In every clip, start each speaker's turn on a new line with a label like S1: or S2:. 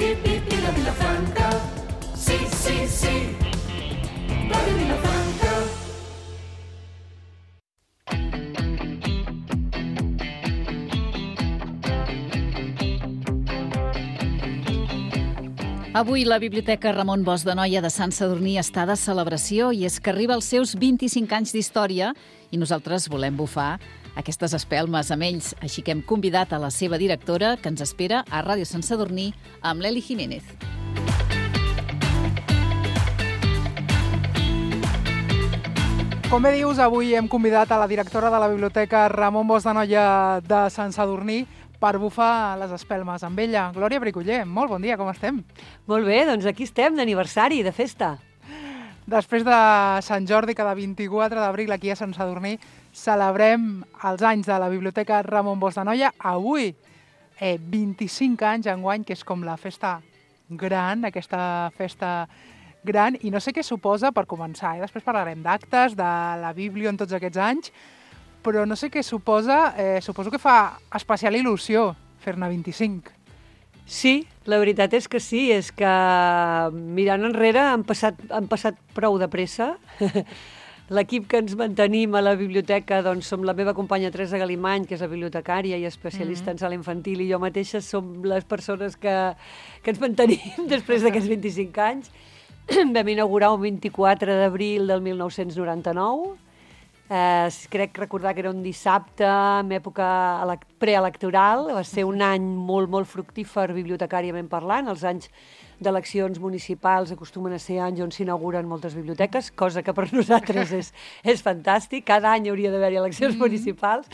S1: i la Vilafranca. Sí, sí, sí, Ràdio Vilafranca.
S2: Avui la Biblioteca Ramon Bosch de Noia de Sant Sadurní està de celebració i és que arriba als seus 25 anys d'història i nosaltres volem bufar aquestes espelmes amb ells. Així que hem convidat a la seva directora, que ens espera a Ràdio Sant Sadurní, amb l'Eli Jiménez.
S3: Com bé dius, avui hem convidat a la directora de la Biblioteca Ramon Bosch de Noia de Sant Sadurní per bufar les espelmes amb ella. Glòria Briculler, molt bon dia, com estem?
S4: Molt bé, doncs aquí estem, d'aniversari, de festa.
S3: Després de Sant Jordi, cada 24 d'abril aquí a Sant Sadurní, celebrem els anys de la Biblioteca Ramon Bosch de Noia. Avui, 25 anys enguany, que és com la festa gran, aquesta festa gran, i no sé què suposa per començar. Després parlarem d'actes, de la Bíblia en tots aquests anys, però no sé què suposa, suposo que fa especial il·lusió fer-ne 25.
S4: Sí, la veritat és que sí, és que mirant enrere han passat prou de pressa. L'equip que ens mantenim a la biblioteca doncs, som la meva companya Teresa Galimany, que és la bibliotecària i especialista en sala infantil, i jo mateixa som les persones que ens mantenim després d'aquests 25 anys. Vam inaugurar un 24 d'abril del 1999, crec recordar que era un dissabte en època preelectoral. Va ser un any molt, molt fructífer bibliotecàriament parlant. Els anys d'eleccions municipals acostumen a ser anys on s'inauguren moltes biblioteques, cosa que per nosaltres és fantàstic. Cada any hauria d'haver-hi eleccions municipals.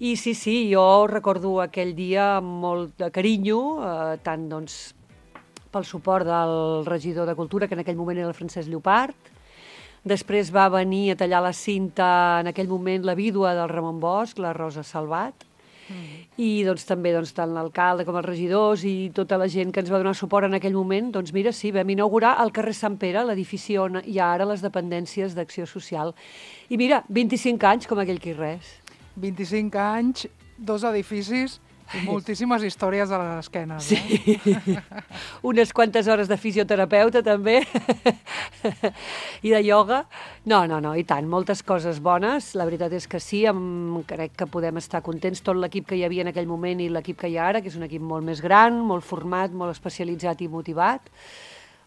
S4: I sí, jo recordo aquell dia amb molt de carinyo, tant doncs pel suport del regidor de Cultura, que en aquell moment era el Francesc Llopart. Després va venir a tallar la cinta en aquell moment la vídua del Ramon Bosch, la Rosa Salvat, i doncs, també tant l'alcalde com els regidors i tota la gent que ens va donar suport en aquell moment. Doncs mira, sí, vam inaugurar al carrer Sant Pere, l'edifici on hi ha ara les dependències d'Acció Social. I mira, 25 anys com aquell que res.
S3: 25 anys, 2 edificis i moltíssimes històries a les esquenes.
S4: Sí, unes quantes hores de fisioterapeuta també i de ioga. No, i tant, moltes coses bones. La veritat és que sí, crec que podem estar contents tot l'equip que hi havia en aquell moment i l'equip que hi ha ara, que és un equip molt més gran, molt format, molt especialitzat i motivat.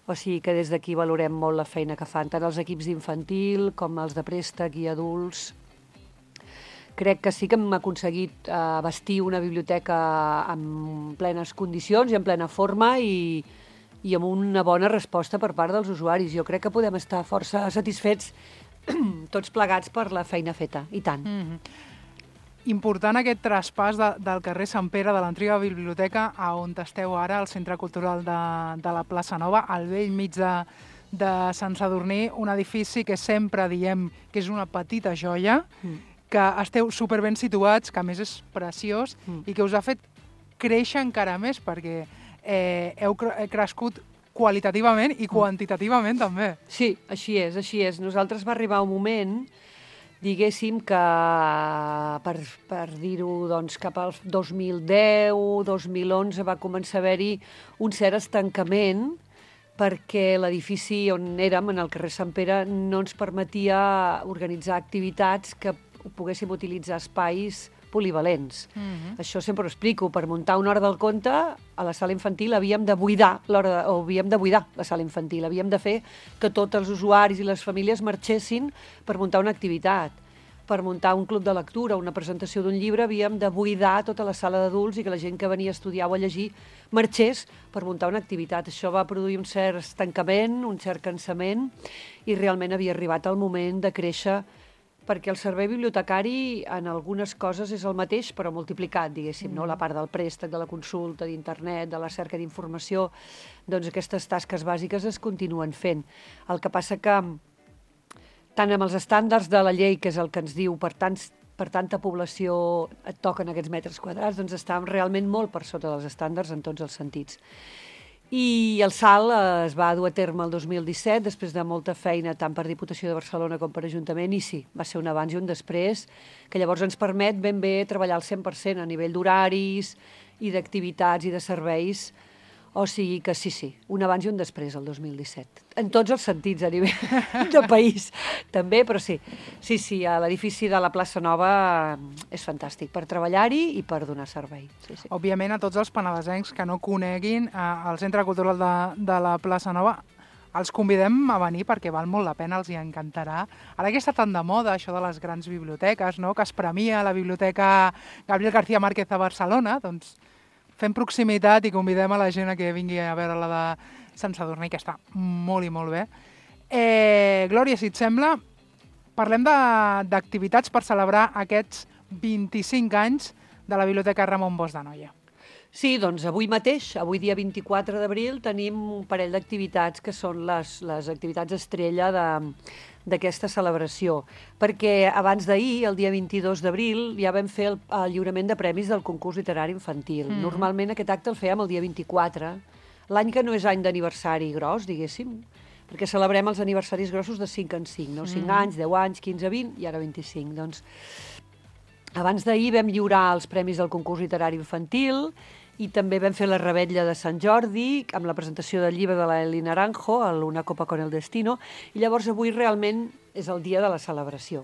S4: O sigui que des d'aquí valorem molt la feina que fan tant els equips d'infantil com els de préstec i adults. Crec que sí que hem aconseguit vestir una biblioteca en plenes condicions i en plena forma i amb una bona resposta per part dels usuaris. Jo crec que podem estar força satisfets tots plegats per la feina feta, i tant.
S3: Important aquest traspàs del carrer Sant Pere, de l'antiga biblioteca, a on esteu ara, al Centre Cultural de la Plaça Nova, al vell mig de Sant Sadurní, un edifici que sempre diem que és una petita joia, que esteu superben situats, que a més és preciós i que us ha fet créixer encara més perquè heu crescut qualitativament i quantitativament també. Sí,
S4: així és. Nosaltres va arribar un moment, diguéssim, que per dir-ho doncs, cap al 2010-2011 va començar a haver-hi un cert estancament perquè l'edifici on érem, en el carrer Sant Pere, no ens permetia organitzar activitats que poguéssim utilitzar espais polivalents. Això sempre ho explico. Per muntar una hora del conte, a la sala infantil havíem de buidar la sala infantil. Havíem de fer que tots els usuaris i les famílies marxessin per muntar una activitat. Per muntar un club de lectura, una presentació d'un llibre, havíem de buidar tota la sala d'adults i que la gent que venia a estudiar o a llegir marxés per muntar una activitat. Això va produir un cert estancament, un cert cansament, i realment havia arribat el moment de créixer, perquè el servei bibliotecari en algunes coses és el mateix, però multiplicat, diguéssim, no? La part del préstec, de la consulta, d'internet, de la cerca d'informació, doncs aquestes tasques bàsiques es continuen fent. El que passa que, tant amb els estàndards de la llei, que és el que ens diu per tanta població et toquen aquests metres quadrats, doncs estàvem realment molt per sota dels estàndards en tots els sentits. I el salt es va dur a terme el 2017, després de molta feina tant per Diputació de Barcelona com per Ajuntament, i sí, va ser un abans i un després, que llavors ens permet ben bé treballar al 100% a nivell d'horaris i d'activitats i de serveis O sigui que sí, un abans i un després, el 2017. En tots els sentits, a nivell de país, també, però sí. Sí, l'edifici de la plaça Nova és fantàstic per treballar-hi i per donar servei. Sí.
S3: Òbviament, a tots els penedesencs que no coneguin el Centre Cultural de la plaça Nova, els convidem a venir perquè val molt la pena, els hi encantarà. Ara que està tan de moda això de les grans biblioteques, no?, que es premia la Biblioteca Gabriel García Márquez a Barcelona, doncs fem proximitat i convidem a la gent a que vingui a veure la de Sant Sadurní, que està molt i molt bé. Glòria, si et sembla, parlem d'activitats per celebrar aquests 25 anys de la Biblioteca Ramon Bosch d'Anoia.
S4: Sí, doncs avui mateix, avui dia 24 d'abril, tenim un parell d'activitats que són les activitats estrella d'aquesta celebració, perquè abans d'ahir, el dia 22 d'abril, ja vam fer el lliurament de premis del concurs literari infantil. Normalment aquest acte el fèiem el dia 24, l'any que no és any d'aniversari gros, diguéssim, perquè celebrem els aniversaris grossos de 5 en 5, no? 5 anys, 10 anys, 15, 20 i ara 25. Doncs abans d'ahir vam lliurar els premis del concurs literari infantil i també vam fer la revetlla de Sant Jordi amb la presentació del llibre de l'Eli Naranjo, Una copa con el destino, i llavors avui realment és el dia de la celebració.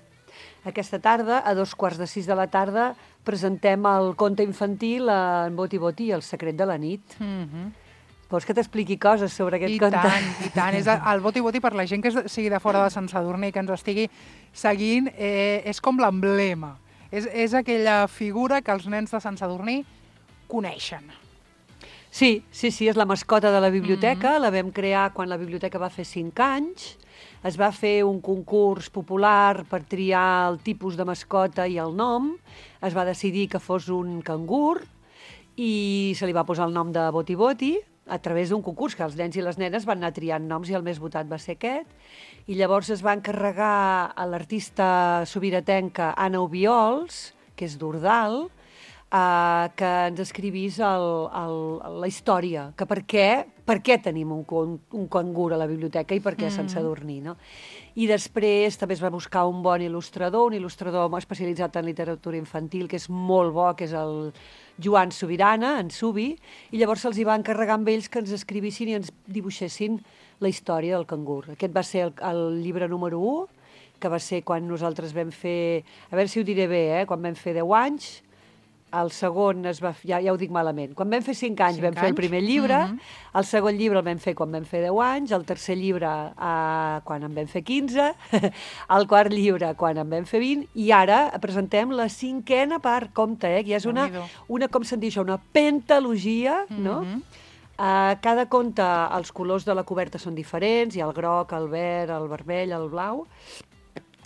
S4: Aquesta tarda, a 2:45 de la tarda, presentem el conte infantil en Boti Boti, El secret de la nit. Vols que t'expliqui coses sobre aquest conte?
S3: I tant. És el Boti Boti, per la gent que sigui de fora de Sant Sadurní, que ens estigui seguint, és com l'emblema. És aquella figura que els nens de Sant Sadurní coneixen.
S4: Sí, és la mascota de la biblioteca, la vam crear quan la biblioteca va fer 5 anys, es va fer un concurs popular per triar el tipus de mascota i el nom, es va decidir que fos un cangur i se li va posar el nom de Boti Boti a través d'un concurs que els nens i les nenes van anar triant noms i el més votat va ser aquest, i llavors es va encarregar a l'artista sobiratenca Anna Obiols, que és d'Ordal, que ens escrivís la història, que per què tenim un cangur a la biblioteca i per què a Sant Sadurní, no? I després també es va buscar un bon il·lustrador, un il·lustrador especialitzat en literatura infantil, que és molt bo, que és el Joan Subirana, en Subi, i llavors se'ls va encarregar amb ells que ens escrivissin i ens dibuixessin la història del cangur. Aquest va ser el llibre número 1, que va ser quan nosaltres vam fer, a veure si ho diré bé, quan vam fer 10 anys, el segon ja ho dic malament. Quan vam fer 5 anys vam fer el primer llibre, el segon llibre el vam fer quan vam fer 10 anys, el tercer llibre quan en vam fer 15, el quart llibre quan en vam fer 20, i ara presentem la 5a part, compte, que ja és una com se'n diu això, una pentalogia, no? Cada conte, els colors de la coberta són diferents, hi ha el groc, el verd, el vermell, el blau,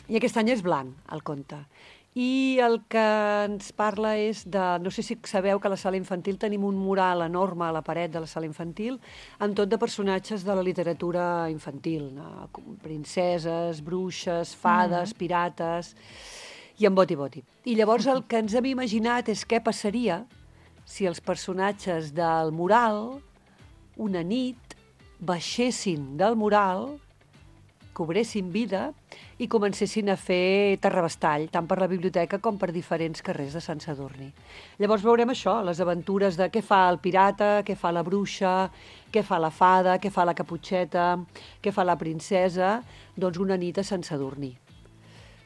S4: i aquest any és blanc, el conte. I el que ens parla és de... No sé si sabeu que a la sala infantil tenim un mural enorme a la paret de la sala infantil amb tot de personatges de la literatura infantil, no? Princeses, bruixes, fades, pirates, i en Boti Boti. I llavors el que ens hem imaginat és què passaria si els personatges del mural una nit baixessin del mural, cobressin vida i comencessin a fer terrabastall, tant per la biblioteca com per diferents carrers de Sant Sadurní. Llavors veurem això, les aventures de què fa el pirata, què fa la bruixa, què fa la fada, què fa la caputxeta, què fa la princesa, doncs una nit a Sant Sadurní.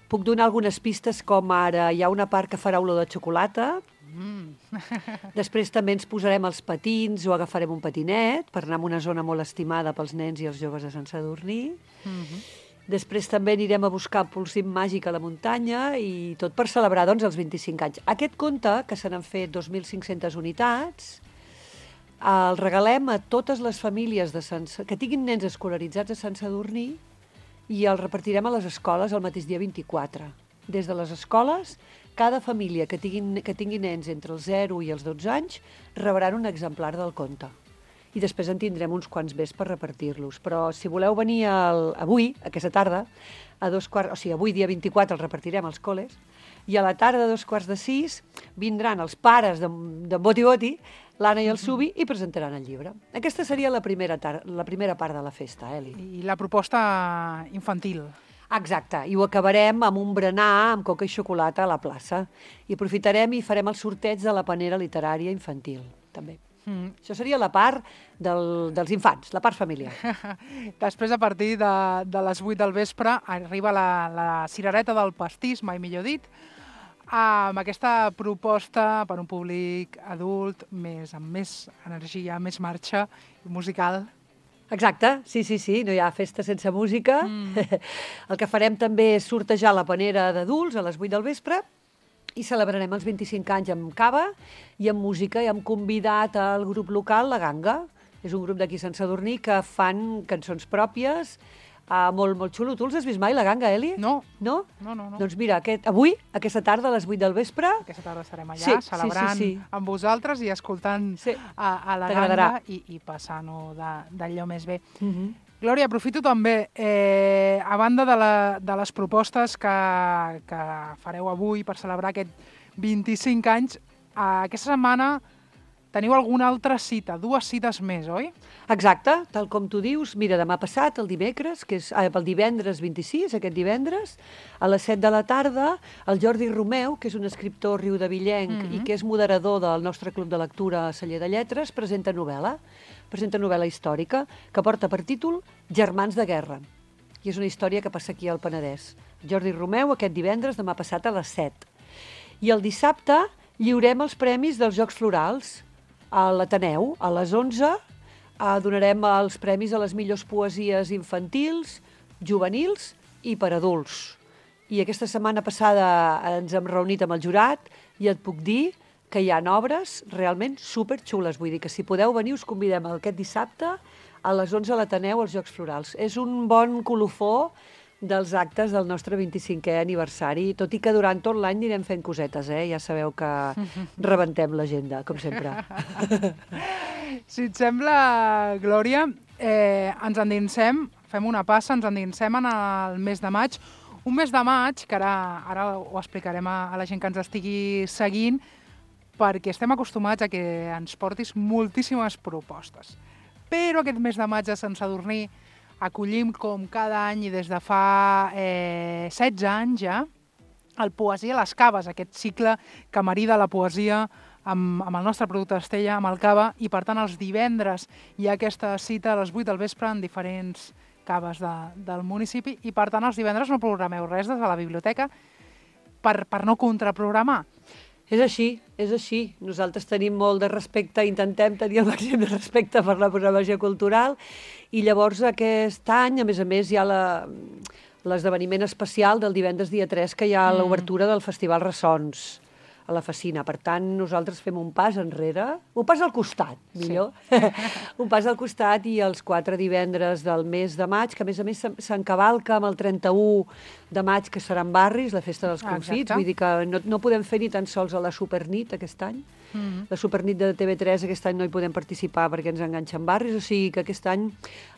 S4: Puc donar algunes pistes, com ara hi ha una part que farà olor de xocolata, després també ens posarem els patins o agafarem un patinet per anar a una zona molt estimada pels nens i els joves de Sant Sadurní. Després també anirem a buscar polsim màgic a la muntanya i tot per celebrar doncs, els 25 anys. Aquest conte, que se n'han fet 2.500 unitats, el regalem a totes les famílies que tinguin nens escolaritzats a Sant Sadurní i el repartirem a les escoles el mateix dia 24. Des de les escoles, cada família que tingui nens entre els 0 i els 12 anys rebran un exemplar del conte. I després en tindrem uns quants més per repartir-los. Però si voleu venir avui, aquesta tarda, avui dia 24 el repartirem als col·les, i a la tarda a 5:45 vindran els pares de Boti Boti, l'Anna i el Subi, i presentaran el llibre. Aquesta seria la primera part de la festa, Eli.
S3: I la proposta infantil.
S4: Exacte, i ho acabarem amb un berenar amb coca i xocolata a la plaça. I aprofitarem i farem el sorteig de la panera literària infantil, també. Això seria la part dels infants, la part familiar.
S3: Després, a partir de les 8 del vespre, arriba la cirereta del pastís, mai millor dit, amb aquesta proposta per un públic adult, amb més energia, més marxa musical.
S4: Exacte, sí, no hi ha festa sense música. El que farem també és sortejar la panera d'adults a les 8 del vespre i celebrarem els 25 anys amb cava i amb música, i hem convidat al grup local La Ganga. És un grup d'aquí Sant Sadurní que fan cançons pròpies, molt, molt xulo. Tu els has vist mai, La Ganga, Eli?
S3: No.
S4: No?
S3: No.
S4: Doncs mira, avui, aquesta tarda, a les 8 del vespre...
S3: Aquesta tarda estarem allà, celebrant amb vosaltres i escoltant a La Ganga i passant-ho d'allò més bé. Glòria, aprofito també, a banda de les propostes que fareu avui per celebrar aquest 25 anys, aquesta setmana teniu alguna altra cita, 2 cites més, oi?
S4: Exacte, tal com tu dius. Mira, demà passat, el dimecres, el divendres 26, aquest divendres, a les 7 de la tarda, el Jordi Romeu, que és un escriptor riudevillenc i que és moderador del nostre club de lectura a Celler de Lletres, presenta novel·la històrica que porta per títol Germans de guerra. I és una història que passa aquí al Penedès. Jordi Romeu, aquest divendres, demà passat a les 7. I el dissabte lliurem els premis dels Jocs Florals a l'Ateneu. A les 11 donarem els premis a les millors poesies infantils, juvenils i per adults. I aquesta setmana passada ens hem reunit amb el jurat i et puc dir que hi ha obres realment superxules. Vull dir que si podeu venir us convidem aquest dissabte a les 11 a l'Ateneu als Jocs Florals. És un bon colofó dels actes del nostre 25è aniversari, tot i que durant tot l'any anirem fent cosetes, Ja sabeu que rebentem l'agenda, com sempre.
S3: Si et sembla, Glòria, ens endinsem, fem una passa, ens endinsem en el mes de maig. Un mes de maig, que ara ho explicarem a la gent que ens estigui seguint, perquè estem acostumats a que ens portis moltíssimes propostes. Però aquest mes de maig a Sant Sadurní acollim, com cada any i des de fa 16 anys ja, el Poesia a les Caves, aquest cicle que marida la poesia amb el nostre producte Estella, amb el cava, i per tant els divendres hi ha aquesta cita a les 8 del vespre en diferents caves del municipi, i per tant els divendres no programeu res des de la biblioteca per no contraprogramar.
S4: És així. Nosaltres tenim molt de respecte, intentem tenir el màxim de respecte per la programació cultural, i llavors aquest any, a més, hi ha l'esdeveniment especial del divendres dia 3, que hi ha l'obertura del Festival Ressons a la Facina. Per tant, nosaltres fem un pas enrere, un pas al costat, millor. Sí. Un pas al costat, i els 4 divendres del mes de maig, que a més s'encavalca amb el 31 de maig, que seran barris, la festa dels confits. Vull dir que no podem fer ni tan sols a la Supernit aquest any. La Supernit de TV3 aquest any no hi podem participar perquè ens enganxen barris, o sigui que aquest any,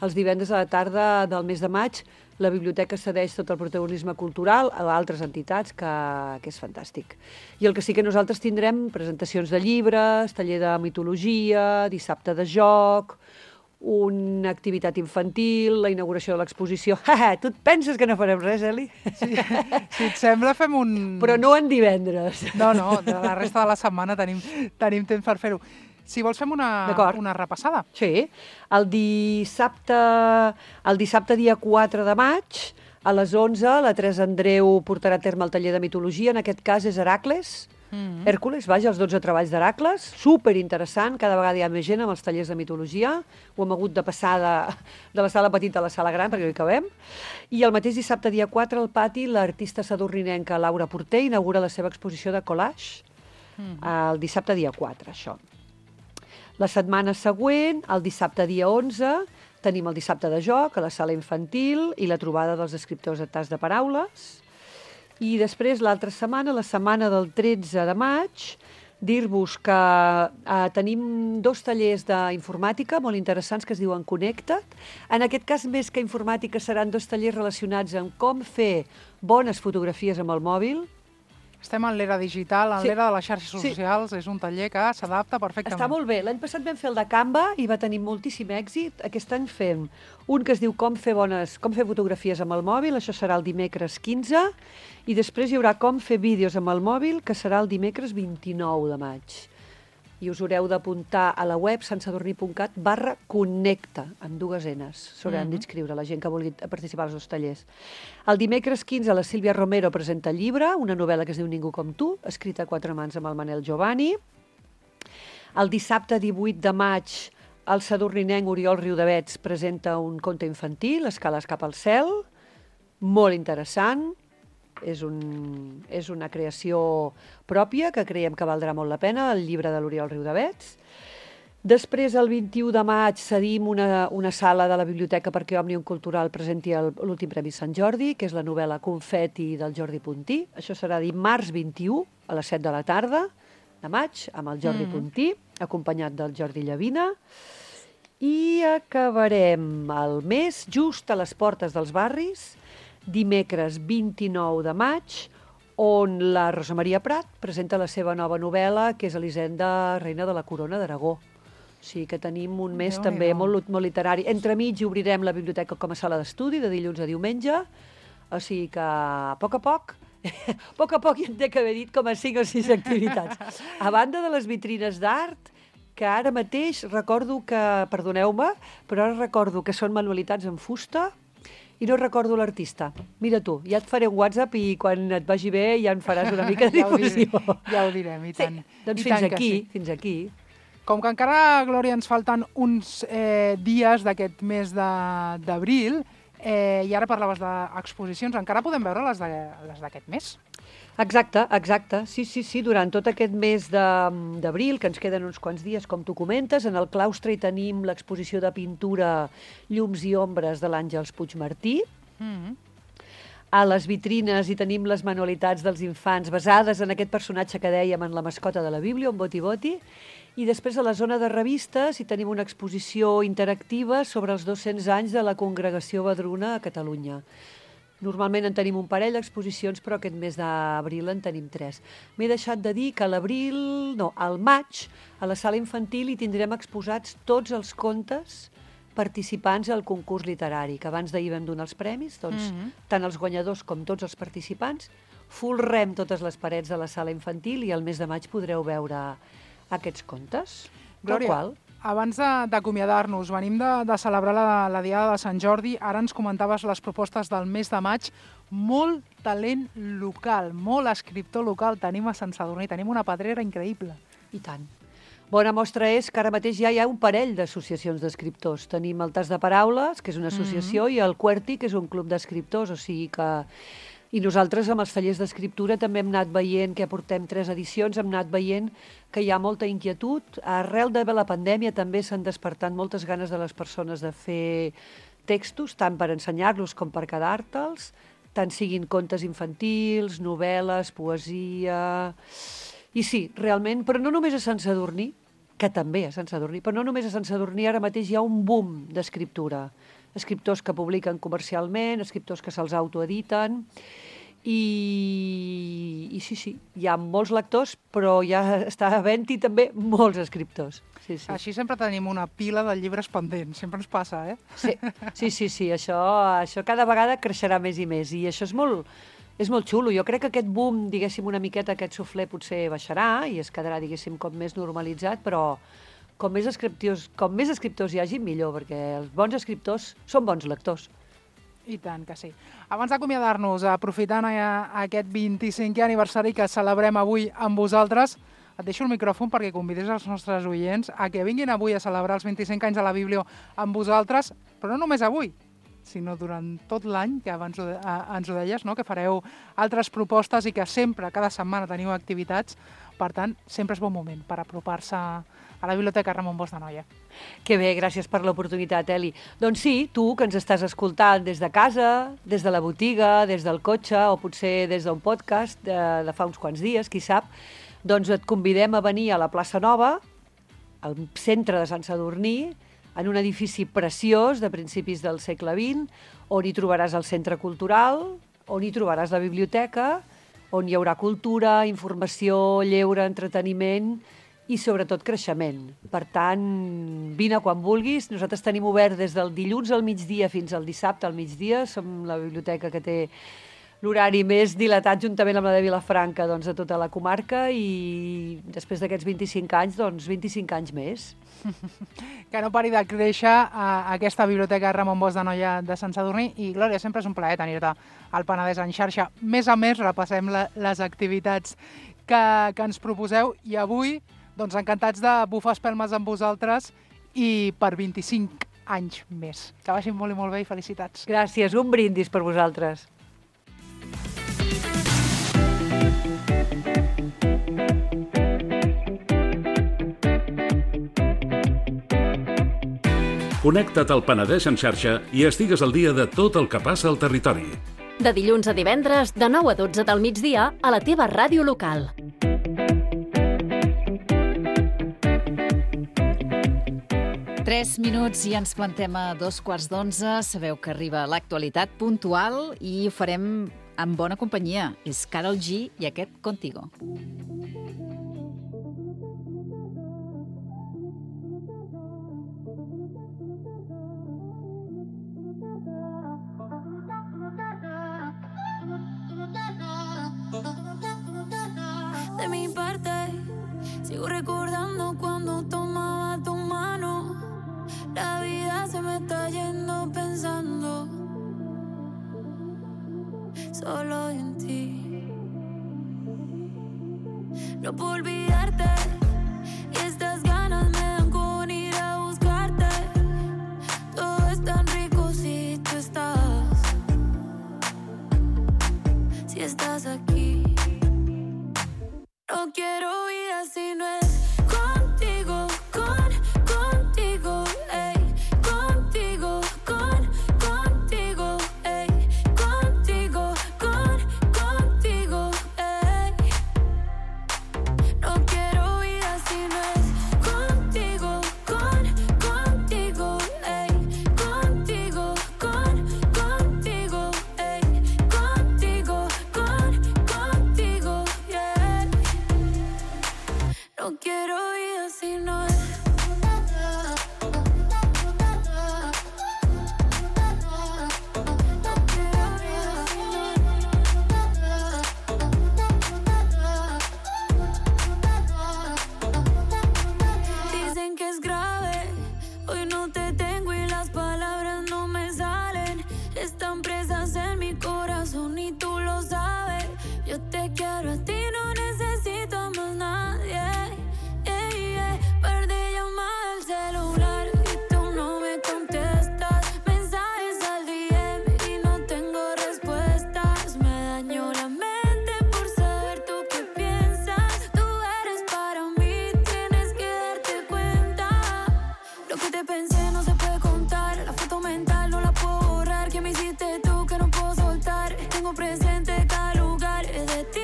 S4: els divendres a la tarda del mes de maig, la biblioteca cedeix tot el protagonisme cultural a altres entitats, que és fantàstic. I el que sí que nosaltres tindrem presentacions de llibres, taller de mitologia, dissabte de joc, una activitat infantil, la inauguració de l'exposició. Tu et penses que no farem res, Eli?
S3: Sí, si et sembla, fem un...
S4: Però no en divendres.
S3: No, de la resta de la setmana tenim temps per fer-ho. Si vols, fem una repassada.
S4: Sí. El dissabte dia 4 de maig, a les 11, la Teresa Andreu portarà a terme el taller de mitologia. En aquest cas és Heracles, Hèrcules, els 12 treballs d'Heracles. Superinteressant, cada vegada hi ha més gent amb els tallers de mitologia. Ho hem hagut de passar de la sala petita a la sala gran, perquè no hi cabem. I el mateix dissabte dia 4, al pati, l'artista sadurninenca Laura Porter inaugura la seva exposició de collage. El dissabte dia 4, això. La setmana següent, el dissabte dia 11, tenim el dissabte de joc a la sala infantil i la trobada dels escriptors a Tas de Paraules. I després, l'altra setmana, la setmana del 13 de maig, dir-vos que tenim 2 tallers d'informàtica molt interessants que es diuen Connecta't. En aquest cas, més que informàtica, seran 2 tallers relacionats amb com fer bones fotografies amb el mòbil.
S3: Estem en l'era digital, en l'era de les xarxes socials, és un taller que s'adapta perfectament.
S4: Està molt bé. L'any passat vam fer el de Canva i va tenir moltíssim èxit. Aquest any fem un que es diu com fer fotografies amb el mòbil, això serà el dimecres 15, i després hi haurà com fer vídeos amb el mòbil, que serà el dimecres 29 de maig. i us haureu d'apuntar a la web santsadurní.cat/connecta, amb 2 Ns. S'hauran d'inscriure la gent que vulgui participar als 2 tallers. El dimecres 15 la Sílvia Romero presenta el llibre, una novel·la que es diu Ningú com tu, escrita a 4 mans amb el Manel Giovanni. El dissabte 18 de maig el sadurninenc Oriol Riudavets presenta un conte infantil, Escales cap al cel, molt interessant. És una creació pròpia que creiem que valdrà molt la pena, el llibre de l'Oriol Riudavets. Després, el 21 de maig, cedim una sala de la biblioteca perquè Òmnium Cultural presenti l'últim Premi Sant Jordi, que és la novel·la Confeti del Jordi Puntí. Això serà dimarts 21 a les 7 de la tarda de maig, amb el Jordi Puntí, acompanyat del Jordi Llavina. I acabarem el mes just a les portes dels barris, dimecres 29 de maig, on la Rosa Maria Prat presenta la seva nova novel·la, que és Elisenda, reina de la corona d'Aragó. O sigui que tenim un mes també molt literari. Entremig obrirem la biblioteca com a sala d'estudi, de dilluns a diumenge, o sigui que a poc ja en té que haver dit com a 5 o 6 activitats. A banda de les vitrines d'art, que ara mateix recordo que, perdoneu-me, però ara recordo que són manualitats en fusta, i no recordo l'artista. Mira tu, ja et faré un WhatsApp i quan et vagi bé ja en faràs una mica de difusió.
S3: Ja ho direm, i tant.
S4: Sí, doncs fins aquí.
S3: Com que encara, Glòria, ens falten uns dies d'aquest mes d'abril, i ara parlaves d'exposicions, encara podem veure les d'aquest mes?
S4: Exacte. Sí. Durant tot aquest mes d'abril, que ens queden uns quants dies, com tu comentes, en el claustre hi tenim l'exposició de pintura Llums i ombres de l'Àngels Puigmartí. A les vitrines hi tenim les manualitats dels infants basades en aquest personatge que dèiem en la mascota de la Bíblia, en Boti Boti. I després a la zona de revistes hi tenim una exposició interactiva sobre els 200 anys de la Congregació Vedruna a Catalunya. Normalment en tenim un parell d'exposicions, però aquest mes d'abril en tenim 3. M'he deixat de dir que al maig, a la sala infantil hi tindrem exposats tots els contes participants al concurs literari, que abans d'ahir vam donar els premis, doncs tant els guanyadors com tots els participants, folrem totes les parets de la sala infantil i al mes de maig podreu veure aquests contes.
S3: Glòria, abans d'acomiadar-nos, venim de celebrar la Diada de Sant Jordi, ara ens comentaves les propostes del mes de maig, molt talent local, molt escriptor local tenim a Sant Sadurní, tenim una pedrera increïble.
S4: I tant. Bona mostra és que ara mateix ja hi ha un parell d'associacions d'escriptors. Tenim el Tas de Paraules, que és una associació, i el QWERTY, que és un club d'escriptors, o sigui que... I nosaltres amb els tallers d'escriptura també hem anat veient, que portem 3 edicions, hem anat veient que hi ha molta inquietud. Arrel de la pandèmia també s'han despertat moltes ganes de les persones de fer textos, tant per ensenyar-los com per quedar-te'ls, tant siguin contes infantils, novel·les, poesia... I sí, realment, però no només a Sant Sadurní, que també a Sant Sadurní, però no només a Sant Sadurní, ara mateix hi ha un boom d'escriptura. Escriptors que publiquen comercialment, escriptors que se'ls autoediten, i sí, hi ha molts lectors, però ja està havent-hi també molts escriptors. Sí.
S3: Així sempre tenim una pila de llibres pendents, sempre ens passa, eh?
S4: Sí, això cada vegada creixerà més i més, i això és molt xulo. Jo crec que aquest boom, diguéssim, una miqueta, aquest suflé potser baixarà i es quedarà, diguéssim, com més normalitzat, però com més escriptors hi hagi, millor, perquè els bons escriptors són bons lectors.
S3: I tant que sí. Abans d'acomiadar-nos, aprofitant aquest 25è aniversari que celebrem avui amb vosaltres, et deixo el micròfon perquè convidis els nostres oients a que vinguin avui a celebrar els 25 anys de la Biblio amb vosaltres, però no només avui, sinó durant tot l'any, que abans ens ho deies, no? Que fareu altres propostes i que sempre, cada setmana, teniu activitats. Per tant, sempre és bon moment per apropar-se a la Biblioteca Ramon Bosch d'Anoia.
S4: Que bé, gràcies per l'oportunitat, Eli. Doncs sí, tu que ens estàs escoltant des de casa, des de la botiga, des del cotxe o potser des d'un podcast de fa uns quants dies, qui sap, doncs et convidem a venir a la plaça Nova, al centre de Sant Sadurní, en un edifici preciós de principis del segle XX, on hi trobaràs el centre cultural, on hi trobaràs la biblioteca, on hi haurà cultura, informació, lleure, entreteniment i sobretot creixement. Per tant, vine quan vulguis. Nosaltres tenim obert des del dilluns al migdia fins al dissabte al migdia. Som la biblioteca que té l'horari més dilatat juntament amb la de Vilafranca, doncs, de tota la comarca, i després d'aquests 25 anys, doncs 25 anys més.
S3: Que no pari de créixer a aquesta biblioteca Ramon Bosch d'Anoia de Sant Sadurní. I, Glòria, sempre és un plaer tenir-te al Penedès en xarxa. Més a més, repassem les activitats que ens proposeu i avui, doncs, encantats de bufar espelmes amb vosaltres i per 25 anys més. Que vagi molt i molt bé i felicitats.
S4: Gràcies, un brindis per vosaltres.
S5: Connecta't al Penedès en xarxa i estigues al dia de tot el que passa al territori.
S6: De dilluns a divendres, de 9 a 12 del migdia, a la teva ràdio local.
S2: Tres minuts i ens plantem a 11:15. Sabeu que arriba l'actualitat puntual i ho farem amb bona companyia. És Karol G i aquest Contigo.
S7: De mi parte, sigo recordando cuando tomaba tu mano. La vida se me está yendo pensando solo en ti. No puedo olvidarte y estas ganas me dan con ir a buscarte. Todo es tan rico si tú estás, si estás aquí. No quiero vida si no es contigo, contigo, ey, contigo, contigo, ey, contigo, contigo, ey. No quiero vida si no es contigo, contigo, ey, contigo, contigo, ey, contigo, contigo, yeah. No quiero vida si no es. Dicen que es grave, hoy no te tengo y las palabras no me salen. Están presas en mi corazón y tú lo sabes. Yo te quiero a ti, no necesito a más nadie. Perdí llamada al celular y tú no me contestas. Mensajes al DM y no tengo respuestas. Me dañó la mente por saber tú qué piensas. Tú eres para mí, tienes que darte cuenta. Lo que te pensé no se puede contar. La foto mental no la puedo borrar. ¿Qué me hiciste tú que no puedo soltar? Tengo presente cada lugar de ti.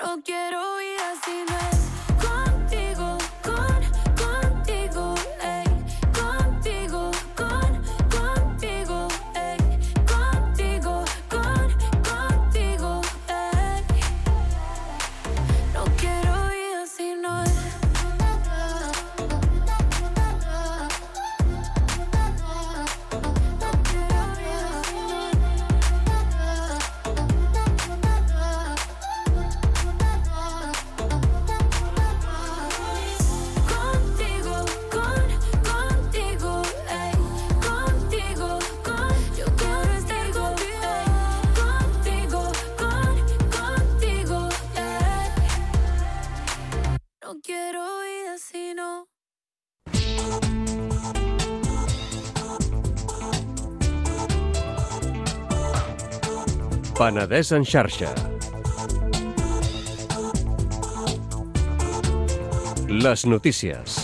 S7: No quiero vida si no es contigo, contigo, ey, contigo, contigo, ey, contigo, contigo, ey. No quiero vida si no es.
S8: Penedès en xarxa. Les notícies.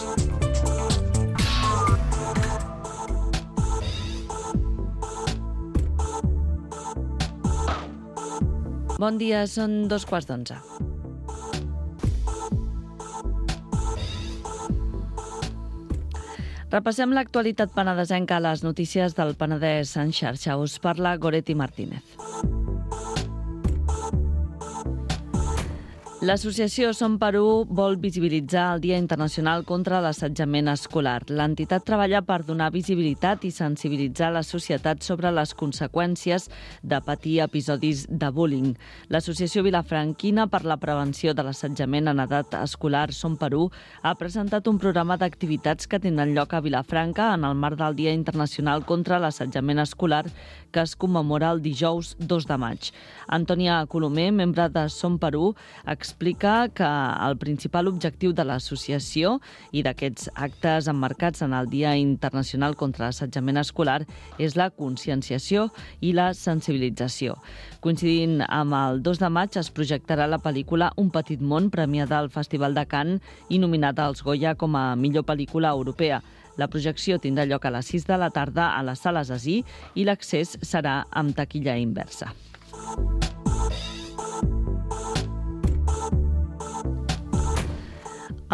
S9: Bon dia, són 11:15. Repassem l'actualitat penedesenca a les notícies del Penedès en xarxa. Us parla Goretti Martínez. L'associació Som Perú vol visibilitzar el Dia Internacional contra l'Assetjament Escolar. L'entitat treballa per donar visibilitat i sensibilitzar la societat sobre les conseqüències de patir episodis de bullying. L'Associació Vilafranquina per la Prevenció de l'Assetjament en edat escolar Som Perú ha presentat un programa d'activitats que tindran lloc a Vilafranca en el marc del Dia Internacional contra l'Assetjament Escolar que es commemora el dijous 2 de maig. Antònia Colomer, membre de Som Perú, explica que el principal objectiu de l'associació i d'aquests actes emmarcats en el Dia Internacional contra l'Assetjament Escolar és la conscienciació i la sensibilització. Coincidint amb el 2 de maig es projectarà la pel·lícula Un petit món, premiada al Festival de Cannes i nominada als Goya com a millor pel·lícula europea. La projecció tindrà lloc a les 6 de la tarda a les sales Así i l'accés serà amb taquilla inversa.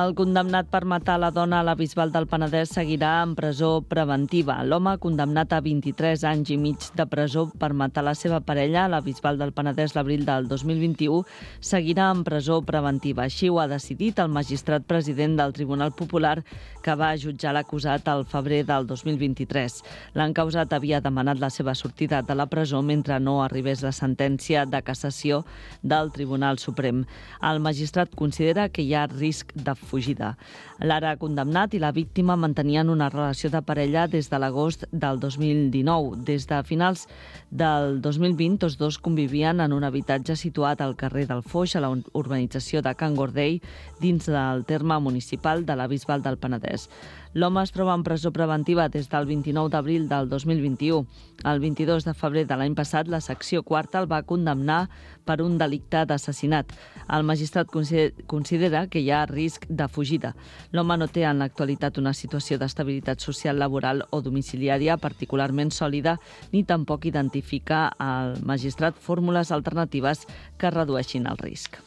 S9: El condemnat per matar la dona a la Bisbal del Penedès seguirà en presó preventiva. L'home, condemnat a 23 anys i mig de presó per matar la seva parella a la Bisbal del Penedès l'abril del 2021, seguirà en presó preventiva. Així ho ha decidit el magistrat president del Tribunal Popular que va jutjar l'acusat al febrer del 2023. L'encausat havia demanat la seva sortida de la presó mentre no arribés la sentència de cassació del Tribunal Suprem. El magistrat considera que hi ha risc de fugida. L'ara condemnat i la víctima mantenien una relació de parella des de l'agost del 2019. Des de finals del 2020, tots dos convivien en un habitatge situat al carrer del Foix, a la urbanització de Can Gordell, dins del terme municipal de la Bisbal del Penedès. L'home es troba en presó preventiva des del 29 d'abril del 2021. El 22 de febrer de l'any passat, la secció quarta el va condemnar per un delicte d'assassinat. El magistrat considera que hi ha risc de fugida. L'home no té en l'actualitat una situació d'estabilitat social, laboral o domiciliària particularment sòlida, ni tampoc identifica al magistrat fórmules alternatives que redueixin el risc.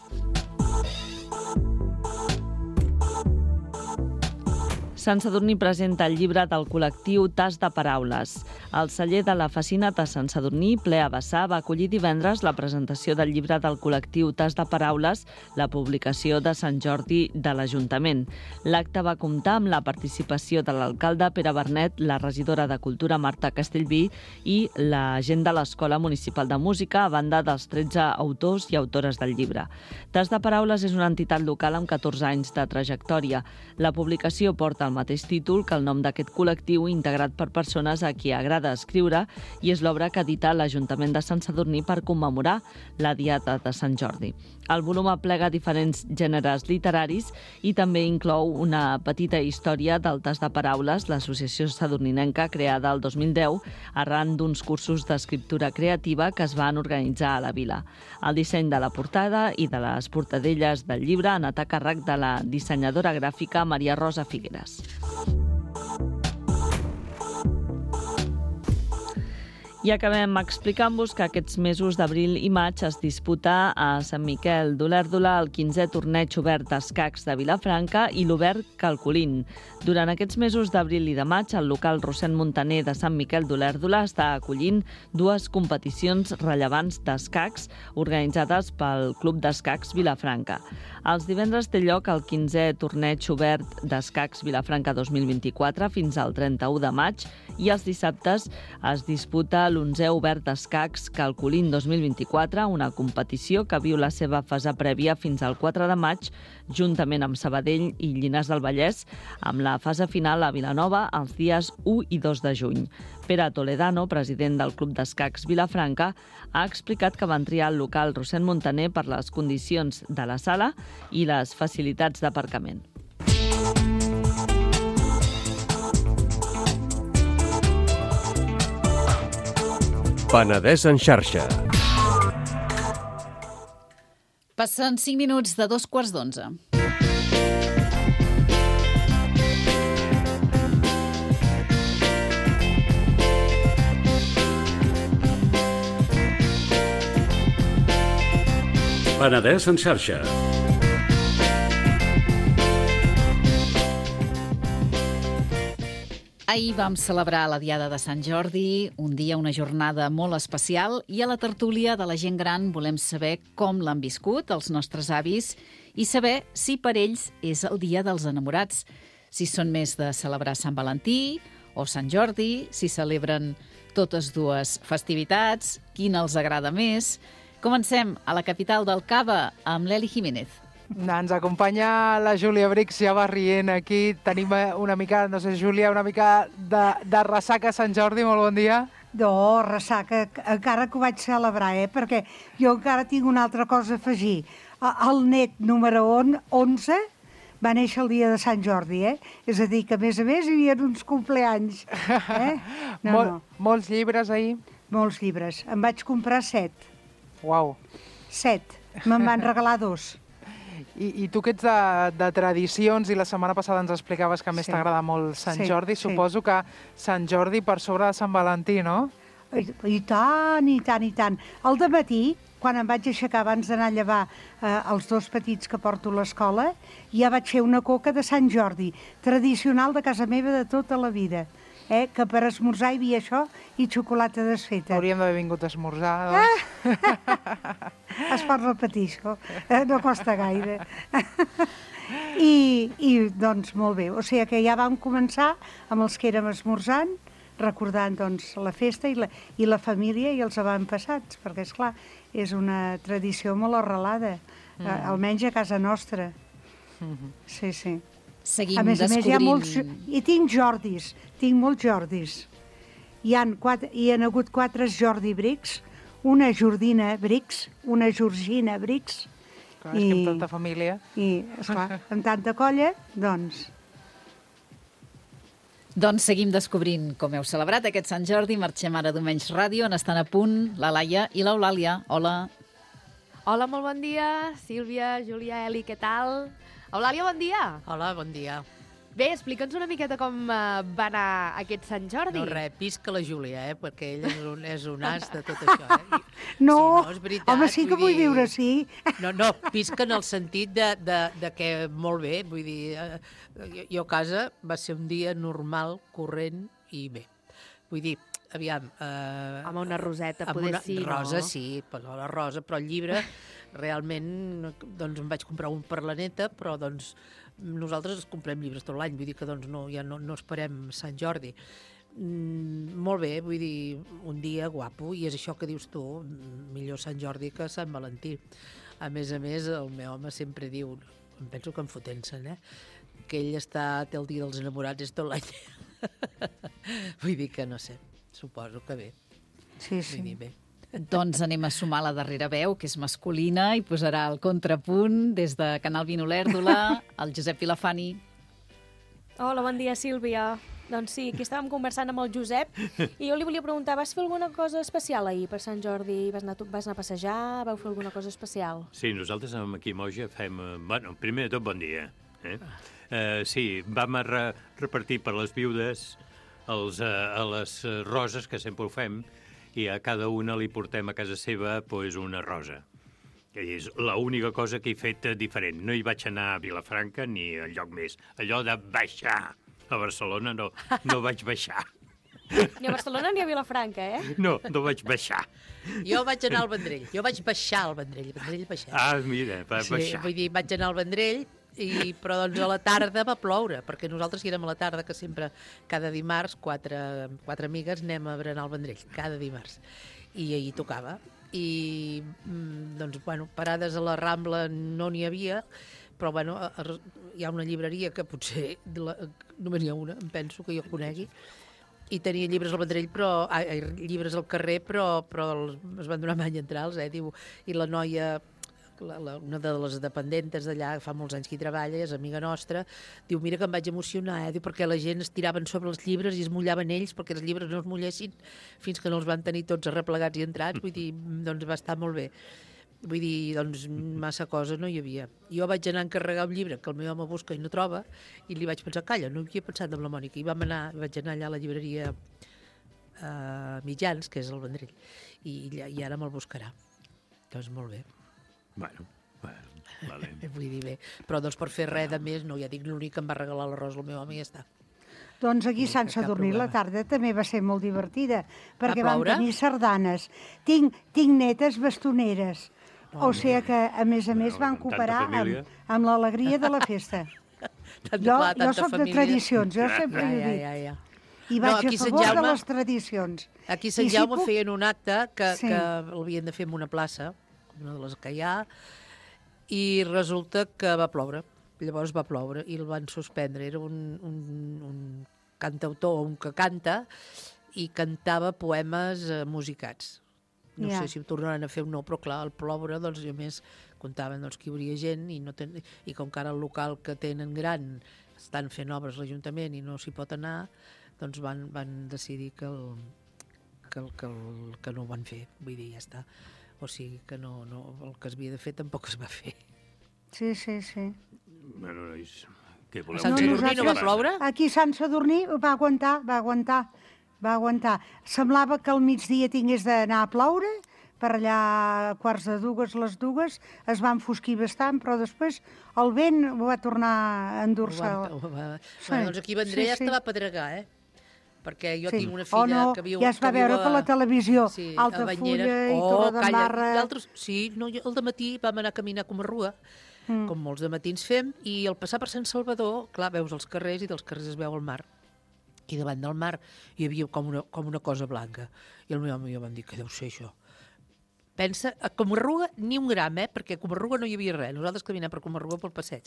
S9: Sant Sadurní presenta el llibre del col·lectiu Tas de Paraules. El celler de la Facina de Sant Sadurní, ple a vessar, va acollir divendres la presentació del llibre del col·lectiu Tas de Paraules, la publicació de Sant Jordi de l'Ajuntament. L'acte va comptar amb la participació de l'alcalde Pere Bernet, la regidora de Cultura Marta Castellví i la gent de l'Escola Municipal de Música, a banda dels 13 autors i autores del llibre. Tas de Paraules és una entitat local amb 14 anys de trajectòria. La publicació porta el mateix títol que el nom d'aquest col·lectiu integrat per persones a qui agrada escriure i és l'obra que edita l'Ajuntament de Sant Sadurní per commemorar la Diada de Sant Jordi. El volum aplega diferents gèneres literaris i també inclou una petita història del Tas de Paraules, l'associació sadurninenca creada el 2010 arran d'uns cursos d'escriptura creativa que es van organitzar a la vila. El disseny de la portada i de les portadelles del llibre han anat a càrrec de la dissenyadora gràfica Maria Rosa Figueres. I acabem explicant-vos que aquests mesos d'abril i maig es disputa a Sant Miquel d'Olèrdola el 15è torneig obert d'escacs de Vilafranca i l'Obert Calcolín. Durant aquests mesos d'abril i de maig, el local Rossend Montaner de Sant Miquel d'Olèrdola està acollint dues competicions rellevants d'escacs organitzades pel Club d'Escacs Vilafranca. Els divendres té lloc el 15è torneig obert d'escacs Vilafranca 2024 fins al 31 de maig i els dissabtes es disputa l'11è obert d'escacs Calcolín 2024, una competició que viu la seva fase prèvia fins al 4 de maig, juntament amb Sabadell i Llinars del Vallès, amb la fase final a Vilanova els dies 1 i 2 de juny. Pere Toledano, president del Club d'Escacs Vilafranca, ha explicat que van triar el local Rossend Montaner per les condicions de la sala i les facilitats d'aparcament.
S8: Penedès en xarxa.
S2: Passen 5 minuts de 2:15.
S5: Penedès en xarxa.
S2: Ahir vam celebrar la Diada de Sant Jordi, un dia, una jornada molt especial, i a la tertúlia de la gent gran volem saber com l'han viscut els nostres avis i saber si per ells és el dia dels enamorats, si són més de celebrar Sant Valentí o Sant Jordi, si celebren totes dues festivitats, quina els agrada més. Comencem a la capital del Cava amb l'Eli Jiménez.
S3: Ens acompanya la Júlia Brix, ja va rient aquí. Tenim una mica, no sé, Júlia, una mica de ressaca a Sant Jordi. Molt bon dia.
S10: No, ressaca, encara que ho vaig celebrar, perquè jo encara tinc una altra cosa a afegir. El net número 11 va néixer el dia de Sant Jordi, És a dir, que a més hi havia uns compleanys.
S3: Molts llibres ahir?
S10: Molts llibres. Em vaig comprar 7.
S3: Uau.
S10: 7. Me'n van regalar 2.
S3: I tu que ets de tradicions i la setmana passada ens explicaves que a més t'agrada molt Sant Jordi, suposo que Sant Jordi per sobre de Sant Valentí, no?
S10: I tant, i tant, i tant. Al dematí, quan em vaig aixecar abans d'anar a llevar els 2 petits que porto a l'escola, ja vaig fer una coca de Sant Jordi, tradicional de casa meva de tota la vida. Que per esmorzar hi havia això i xocolata desfeta.
S3: Hauríem d'haver vingut a esmorzar, doncs.
S10: Es pot repetir, això. No costa gaire. I doncs, molt bé. O sigui que ja vam començar amb els que érem esmorzant, recordant doncs, la festa i la família i els avantpassats, perquè, esclar, és una tradició molt arrelada, almenys a casa nostra. Sí, sí.
S2: Seguim
S10: a més,
S2: descobrint...
S10: hi ha molts... I tinc Jordis, tinc molts Jordis. Hi han hagut 4 Jordi Brix, una Jordina Brix, una Georgina Brix.
S3: Clar, és que amb tanta família.
S10: I, esclar, amb tanta colla, doncs...
S2: Doncs seguim descobrint com heu celebrat aquest Sant Jordi. Marxem ara d'Omenys Ràdio, on estan a punt la Laia i l'Eulàlia. Hola.
S11: Hola, molt bon dia. Sílvia, Júlia, Eli, què tal? Eulàlia, bon dia.
S12: Hola, bon dia.
S11: Bé, explica'ns una miqueta com va anar aquest Sant Jordi.
S12: No, res, pisca la Júlia, perquè ell és un as de tot això.
S10: No,
S12: sí, no, és veritat,
S10: home, sí que vull viure, sí.
S12: No, pisca en el sentit de que molt bé, vull dir, jo a casa va ser un dia normal, corrent i bé. Vull dir, aviam...
S11: Amb una roseta, poder sí, no?
S12: Rosa, sí, la rosa, però el llibre, realment, doncs em vaig comprar un per la neta, però doncs nosaltres comprem llibres tot l'any, vull dir que doncs no esperem Sant Jordi. Molt bé, vull dir, un dia guapo, i és això que dius tu, millor Sant Jordi que Sant Valentí. A més, el meu home sempre diu, em penso que em fotent-se'n, que ell té el dia dels enamorats és tot l'any. Vull dir que no sé, suposo que bé.
S10: Sí, sí.
S12: Vull dir, bé.
S2: Doncs anem a sumar la darrera veu, que és masculina, i posarà el contrapunt des de Canal Vino Lèrdula, el Josep Vilafani.
S13: Hola, bon dia, Sílvia. Doncs sí, aquí estàvem conversant amb el Josep i jo li volia preguntar, vas fer alguna cosa especial ahir per Sant Jordi? Vas anar a passejar? Vau fer alguna cosa especial?
S14: Sí, nosaltres aquí a Moja fem... Bueno, primer de tot, bon dia. Sí, vam repartir per les viudes a les roses, que sempre ho fem, i a cada una li portem a casa seva una rosa. És l'única cosa que he fet diferent. No hi vaig anar a Vilafranca ni a lloc més. Allò de baixar a Barcelona no vaig baixar.
S13: Ni a Barcelona ni a Vilafranca,
S14: No vaig baixar.
S12: Jo vaig anar al Vendrell. Jo vaig baixar al Vendrell. Vendrell baixar.
S14: Ah, mira, va baixar.
S12: Sí, vull dir, vaig anar al Vendrell, però doncs a la tarda va ploure, perquè nosaltres hi érem a la tarda, que sempre, cada dimarts, quatre amigues anem a berenar al Vendrell, cada dimarts. I ahir tocava. I, doncs, bueno, parades a la Rambla no n'hi havia, però, bueno, hi ha una llibreria que potser només n'hi ha una, em penso, que jo conegui, i tenia llibres al Vendrell, llibres al carrer, però es van donar many entrals, diu, i la noia... una de les dependentes d'allà, fa molts anys que hi treballa, és amiga nostra, diu, mira que em vaig emocionar, diu, perquè la gent es tiraven sobre els llibres i es mullaven ells perquè els llibres no es mullessin fins que no els van tenir tots arreplegats i entrats, vull dir, doncs va estar molt bé. Vull dir, doncs massa cosa no hi havia. Jo vaig anar a encarregar un llibre que el meu home busca i no troba, i li vaig pensar, calla, no havia pensat en la Mònica, i vaig anar allà a la llibreria Mitjans, que és el Vendrell, i ara me'l buscarà. Doncs molt bé.
S14: Bueno, vale.
S12: Vull dir, bé. Però doncs per fer res de més, no, ja dic, l'únic que em va regalar l'arròs el meu home i ja està.
S10: Doncs aquí a Sant Sadurní la tarda també va ser molt divertida, perquè vam tenir sardanes. Tinc netes bastoneres, o sigui que, a més, van cooperar amb l'alegria de la festa. Jo soc de tradicions, jo sempre ho dic. I vaig a favor de les tradicions.
S12: Aquí a Sant Jaume feien un acte que l'havien de fer en una plaça, una de les que hi ha, i resulta que va ploure. Llavors va ploure i el van suspendre. Era un cantautor, un que canta, i cantava poemes musicats. No sé si ho tornaran a fer o no, però clar, al ploure, doncs, a més, comptaven que hi hauria gent i com que ara el local que tenen gran estan fent obres a l'Ajuntament i no s'hi pot anar, doncs van decidir que no ho van fer. Vull dir, ja està. O sigui que el que s'havia de fer tampoc es va fer.
S10: Sí.
S14: Bueno, nois, què voleu?
S12: A Sant Sadurní no va ploure?
S10: Aquí a Sant Sadurní va aguantar. Semblava que al migdia tingués d'anar a ploure, per allà a quarts de dues, les dues, es va enfosquir bastant, però després el vent ho va tornar a endur-se.
S12: Doncs aquí a Vendrell ja estava a pedregar, perquè jo tinc una filla que viu...
S10: Ja es va veure per la televisió, Altafulla i Torredembarra...
S12: Sí, el dematí vam anar a caminar a Comarruga, com molts de matins fem, i al passar per Sant Salvador, clar, veus els carrers i dels carrers es veu el mar. Aquí davant del mar hi havia com una cosa blanca. I el meu home i jo vam dir, què deu ser això? Pensa, a Comarruga ni un gram, perquè a Comarruga no hi havia res. Nosaltres caminàvem per Comarruga pel passeig.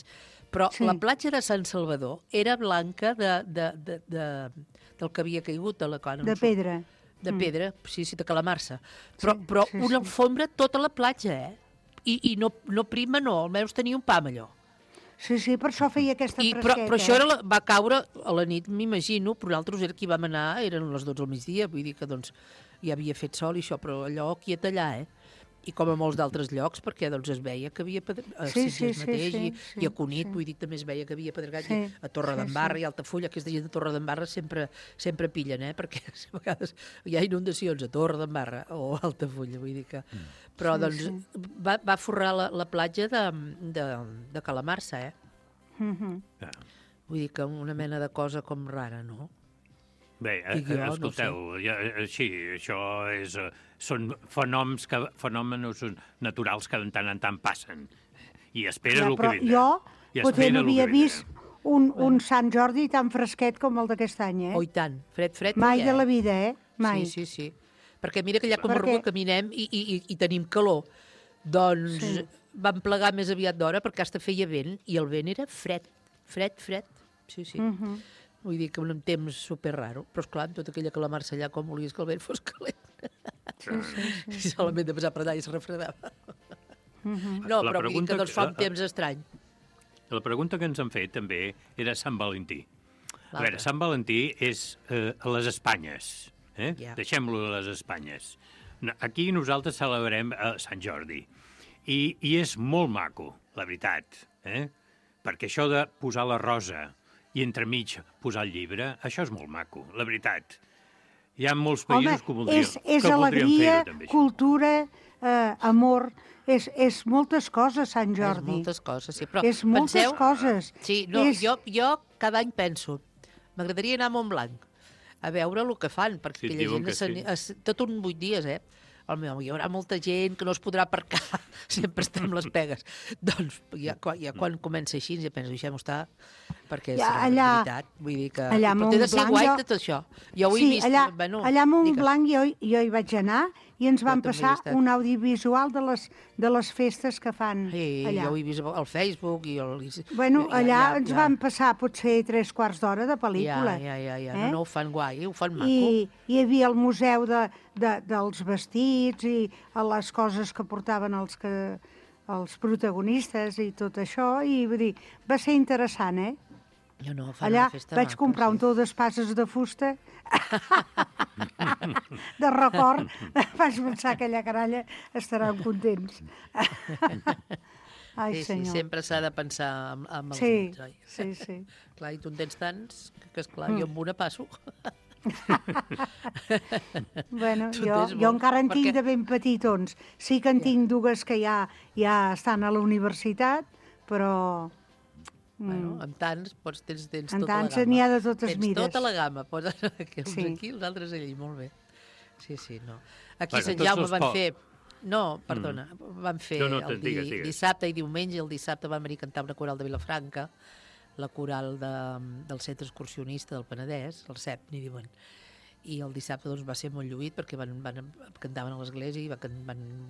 S12: Però la platja de Sant Salvador era blanca del que havia caigut a la cona.
S10: De pedra.
S12: De pedra, sí, de calamarsa. Però una alfombra tota la platja, I no prima, no, almenys tenia un pam, allò.
S10: Sí, per això feia aquesta fresqueta.
S12: Però això va caure a la nit, m'imagino, però nosaltres era qui vam anar, eren les 12 del migdia, vull dir que doncs ja havia fet sol i això, però allò quiet allà, I com a molts d'altres llocs, perquè doncs es veia que havia pedregat, i a Cunit, vull dir, també es veia que havia pedregat, a Torredembarra i Altafulla, aquesta gent de Torredembarra sempre pillen, perquè a vegades hi ha inundacions a Torredembarra o a Altafulla, vull dir que... Però doncs va forrar la platja de calamarsa, Vull dir que una mena de cosa com rara, no?
S14: Bé, escolteu, això són fenòmenos naturals que de tant en tant passen. I espera el que vindrà.
S10: Jo potser no havia vist un Sant Jordi tan fresquet com el d'aquest any,
S12: Oh, i tant, fred.
S10: Mai de la vida, Mai.
S12: Sí. Perquè mira que allà com a Comarruga caminem i tenim calor. Doncs vam plegar més aviat d'hora perquè hasta feia vent i el vent era fred. Sí. Vull dir que un temps super raro, però esclar, amb tota aquella calamarsa allà, com volies que el vent fos calent. I solament de passar per allà i es refredava. No, però vull dir que doncs fa un temps estrany.
S14: La pregunta que ens han fet també era Sant Valentí. A veure, Sant Valentí és a les Espanyes. Deixem-lo a les Espanyes. Aquí nosaltres celebrem Sant Jordi. I és molt maco, la veritat. Perquè això de posar la rosa i entremig posar el llibre, això és molt maco, la veritat. Hi ha molts països que voldrien fer-ho.
S10: És alegria, cultura, amor, és moltes coses, Sant Jordi.
S12: És moltes coses, sí. Però
S10: és moltes coses.
S12: Sí, jo cada any penso, m'agradaria anar a Montblanc a veure el que fan, perquè aquella gent tot un 8 dies, hi haurà molta gent que no es podrà aparcar, sempre estem les pegues. Doncs ja quan comença així ja penso, deixem-ho estar, perquè serà una veritat. Vull dir que... Però té de ser guai tot això. Jo ho he vist.
S10: Allà a Montblanc jo hi vaig anar i ens van passar un audiovisual de les festes que fan allà.
S12: Jo ho he vist al Facebook i...
S10: Bueno, allà ens van passar potser 3/4 d'hora de pel·lícula.
S12: Ja. No ho fan guai, ho fan maco.
S10: I hi havia el museu dels vestits i les coses que portaven els protagonistes i tot això, i vull dir, va ser interessant, Allà vaig comprar un tou d'espases de fusta de record. Vaig pensar que aquella caralla estaran contents. Ai, senyor.
S12: Sí, sempre s'ha de pensar amb els nens, oi?
S10: Sí.
S12: Clar, i tu en tens tants que, esclar, jo amb una passo.
S10: Bueno, jo encara en tinc de ben petitons. Sí que en tinc dues que ja estan a la universitat, però
S12: Bueno, amb tants tens
S10: En
S12: tota la
S10: tants
S12: gamma.
S10: n'hi ha de totes
S12: tens
S10: mides.
S12: tota la gamma, poses uns
S10: Sí.
S12: aquí, els altres allí, molt bé. Sí, no. Aquí
S14: Bueno,
S12: Sant
S14: tots
S12: Jaume
S14: els
S12: van fer... No, perdona, van fer
S14: No,
S12: el
S14: digues.
S12: dissabte i diumenge. El dissabte vam venir a cantar una coral de Vilafranca, la coral del Centre Excursionista del Penedès, el CEP, n'hi diuen. I el dissabte doncs, va ser molt lluït perquè cantaven a l'església i ho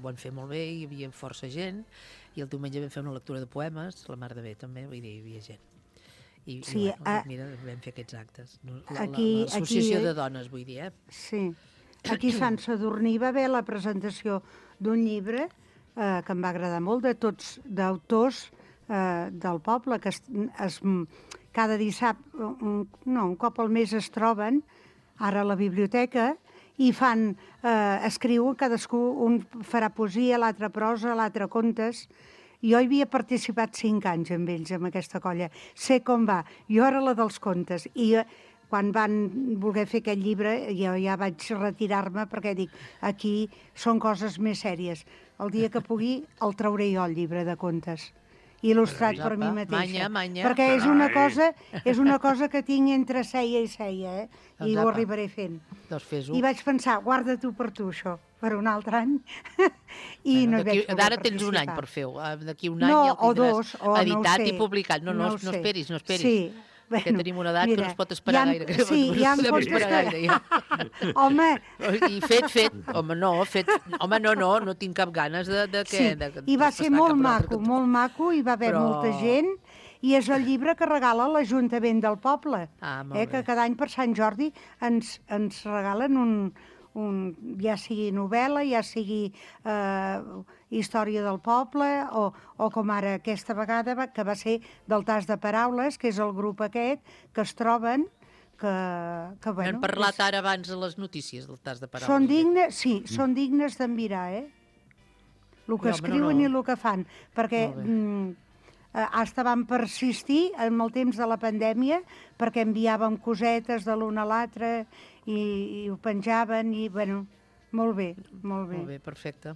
S12: van fer molt bé, hi havia força gent, i el diumenge vam fer una lectura de poemes, la mar de bé també, vull dir, hi havia gent. I mira, vam fer aquests actes. L'associació de dones, vull dir,
S10: Sí. Aquí a Sant Sadurní va haver la presentació d'un llibre que em va agradar molt, de tots d'autors del poble, que cada dissabte, un cop al mes es troben, ara a la biblioteca, i escriuen, cadascú, un farà poesia, l'altre prosa, l'altre contes. Jo hi havia participat 5 anys amb ells, amb aquesta colla. Sé com va. Jo era la dels contes. I quan van voler fer aquest llibre, jo ja vaig retirar-me perquè dic, aquí són coses més sèries. El dia que pugui el trauré jo, el llibre de contes. Il·lustrat per mi mateixa.
S12: Manya.
S10: Perquè és una cosa que tinc entre ceia i ceia, i ho arribaré fent.
S12: Doncs fes-ho.
S10: I vaig pensar, guarda-t'ho per tu, això, per un altre any. I no hi vaig poder
S12: Ara tens un any per fer-ho. D'aquí un any
S10: ja
S12: el
S10: o dos,
S12: tindràs editat i publicat. No esperis.
S10: Sí.
S12: Perquè tenim una edat que no es pot esperar gaire.
S10: Sí, ja em pots esperar. Home...
S12: I fet. Home, no tinc cap ganes de què.
S10: I va ser molt maco, hi va haver molta gent, i és el llibre que regala l'Ajuntament del poble, que cada any per Sant Jordi ens regalen ja sigui novel·la, ja sigui història del poble, o com ara aquesta vegada, que va ser del Tas de Paraules, que és el grup aquest, que es troben, que bueno...
S12: Hem parlat ara abans de les notícies del Tas de Paraules.
S10: Són dignes, sí, són dignes d'envirar, el que escriuen i el que fan, perquè hasta van persistir en el temps de la pandèmia, perquè enviàvem cosetes de l'un a l'altre i ho penjaven, i bueno, molt bé.
S12: Molt bé, perfecte.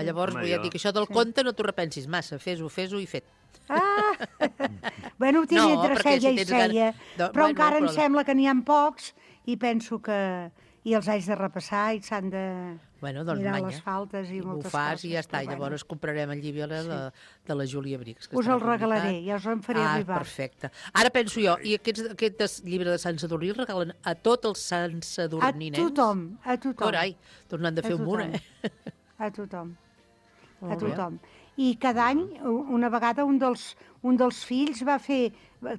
S12: Llavors, vull dir que això del conte no t'ho repensis massa, fes-ho i fet.
S10: Bueno, ho tinc entre ceia i ceia, però encara em sembla que n'hi ha pocs i penso que els haig de repassar i s'han de mirar les faltes i moltes coses.
S12: Ho fas i ja està, i llavors comprarem el llibre de la Júlia Brix.
S10: Us el regalaré, ja us en faré arribar.
S12: Perfecte. Ara penso jo, i aquest llibre de Sant Sadurní el regalen a tots els Sant Sadurninens?
S10: A tothom.
S12: Carai, doncs n'han de fer un munt,
S10: A tothom. I cada any, una vegada, un dels fills va fer,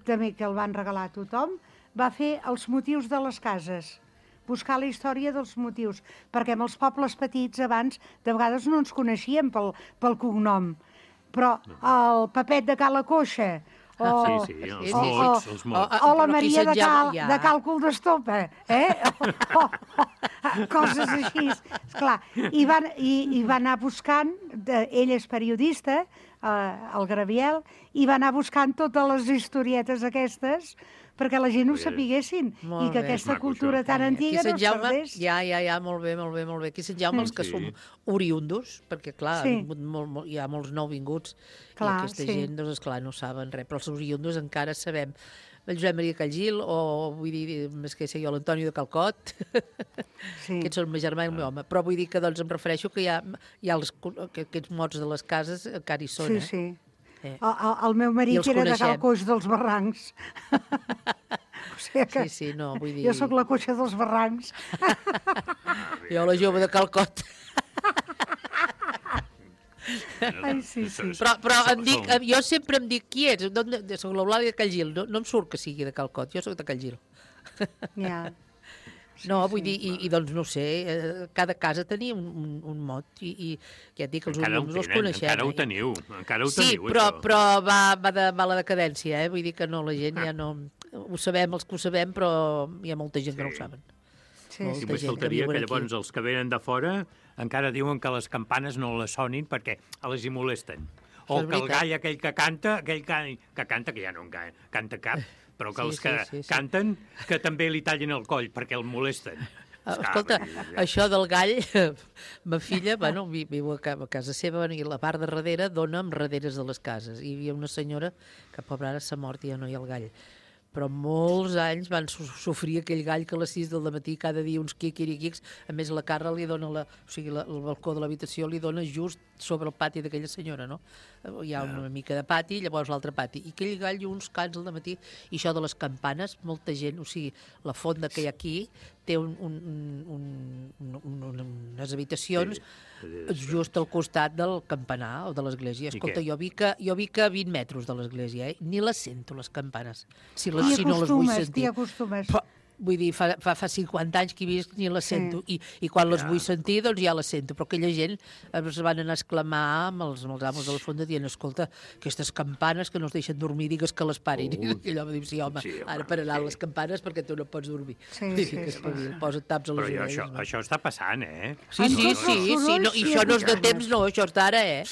S10: també que el van regalar a tothom, va fer els motius de les cases, buscar la història dels motius, perquè en els pobles petits abans de vegades no ens coneixíem pel cognom, però el Pepet de Cala Coixa,
S14: els mots.
S10: O la Maria de Càlcul d'Estopa, coses així, esclar. I va anar buscant, ell és periodista, el Graviel, i va anar buscant totes les historietes aquestes perquè la gent ho sapiguessin i que aquesta cultura tan antiga no es perdés.
S12: Ja, molt bé. Aquí a Sant Jaume els que som oriundos, perquè clar, hi ha molts nouvinguts i aquesta gent, doncs esclar, no saben res, però els oriundos encara sabem. El Josep Maria Callgil, o vull dir, més que sé jo, l'Antonio de Calcot, aquests són el meu germà i el meu home, però vull dir que doncs em refereixo que hi ha aquests mots de les cases encara hi són,
S10: Sí. El meu marit era de Cal Coix dels Barrancs.
S12: Sí, no, vull dir...
S10: Jo sóc la coixa dels Barrancs.
S12: Jo la jove de Calcot.
S10: Ai, sí.
S12: Però jo sempre em dic qui ets. Soc l'Eulàlia de Callgil. No em surt que sigui de Calcot, jo sóc de Callgil.
S10: Ja.
S12: No, vull dir, i doncs no sé, cada casa tenia un mot i ja et dic que els oriundos els coneixem.
S14: Encara ho teniu,
S12: Sí, però va a la decadència, vull dir que no, la gent ja no... Ho sabem, els que ho sabem, però hi ha molta gent que no ho saben.
S14: Sí, només faltaria que llavors els que venen de fora encara diuen que les campanes no les sonin perquè les hi molesten. O que el gall aquell que canta, que ja no canta cap, però que els que canten, que també li tallin el coll perquè el molesten.
S12: Escolta, això del gall, ma filla, bueno, viu a casa seva, i la part de darrere dona amb darreres de les cases. I hi havia una senyora que, pobra, ara s'ha mort i ja no hi ha el gall. Però molts anys van sofrir aquell gall que a les 6 del matí cada dia uns quiquiriquics. A més, la Carla li dona, el balcó de l'habitació li dona just sobre el pati d'aquella senyora, no? Hi ha una mica de pati i llavors l'altre pati. I aquell gall uns cants al matí. I això de les campanes, molta gent, o sigui, la fonda que hi ha aquí té unes habitacions just al costat del campanar o de l'església. Escolta, jo vic a 20 metres de l'església, ni les sento, les campanes. Si no les vull sentir.
S10: T'hi acostumes.
S12: Vull dir, fa 50 anys que hi visc ni les sento. I quan les vull sentir, doncs ja les sento. Però aquella gent es van anar a exclamar amb els amos de la fonda dient, escolta, aquestes campanes que no es deixen dormir, digues que les parin. I allò va dir, sí, home, ara pararan les campanes perquè tu no pots dormir. Posa't taps a les orelles.
S14: Però això està passant, eh?
S12: Sí, i això no és de temps, no, això és d'ara, eh?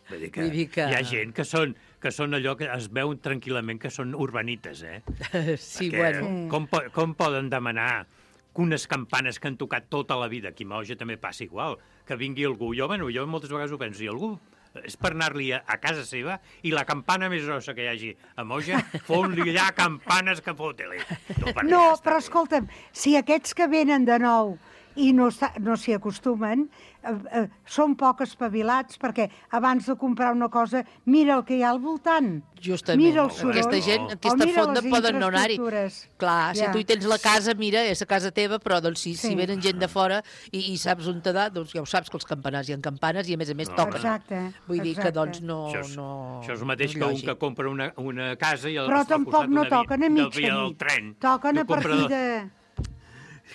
S14: Vull dir que hi ha gent que són allò que es veuen tranquil·lament que són urbanites, eh?
S12: Sí,
S14: perquè
S12: bueno.
S14: Com poden demanar que unes campanes que han tocat tota la vida, aquí a Moja també passa igual, que vingui algú, jo moltes vegades ho penso, i algú és per anar-li a casa seva i la campana més grossa que hi hagi a Moja, fon-li allà campanes que fot-li.
S10: No, però escolta'm, si aquests que venen de nou i no s'hi acostumen, són poc espavilats, perquè abans de comprar una cosa, mira el que hi ha al voltant.
S12: Justament.
S10: Mira el soroll.
S12: Aquesta gent, aquesta fonda poden no anar-hi. Clar, si tu hi tens la casa, mira, és a casa teva, però doncs, si venen gent de fora i saps on t'ha dat, doncs ja ho saps que els campanars hi ha campanes i a més toquen.
S10: Exacte.
S12: Vull dir que doncs no...
S14: Això és el mateix que un que compra una casa i
S10: però tampoc no toquen a mitja nit. Toquen a partir de...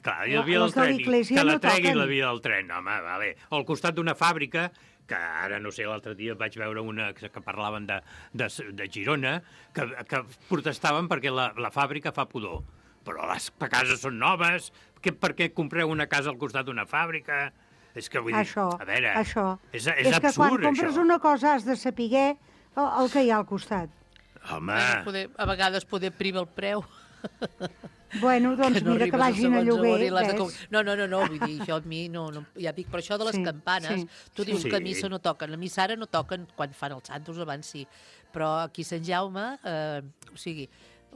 S14: Clar, i el via del tren, que la tregui la via del tren, home, vale. O al costat d'una fàbrica, que ara, no sé, l'altre dia vaig veure una que parlaven de Girona, que protestaven perquè la fàbrica fa pudor. Però les cases són noves, per què compreu una casa al costat d'una fàbrica? És que vull dir, a veure, és absurd,
S10: això. És que quan compres una cosa has de saber el que hi ha al costat.
S14: Home...
S12: A vegades poder privar el preu.
S10: Bueno, doncs mira que vagin a lloguer.
S12: No, vull dir, això a mi no, ja dic, però això de les campanes, tu dius que a missa no toquen, a missa ara no toquen quan fan els santos, abans sí, però aquí a Sant Jaume, o sigui,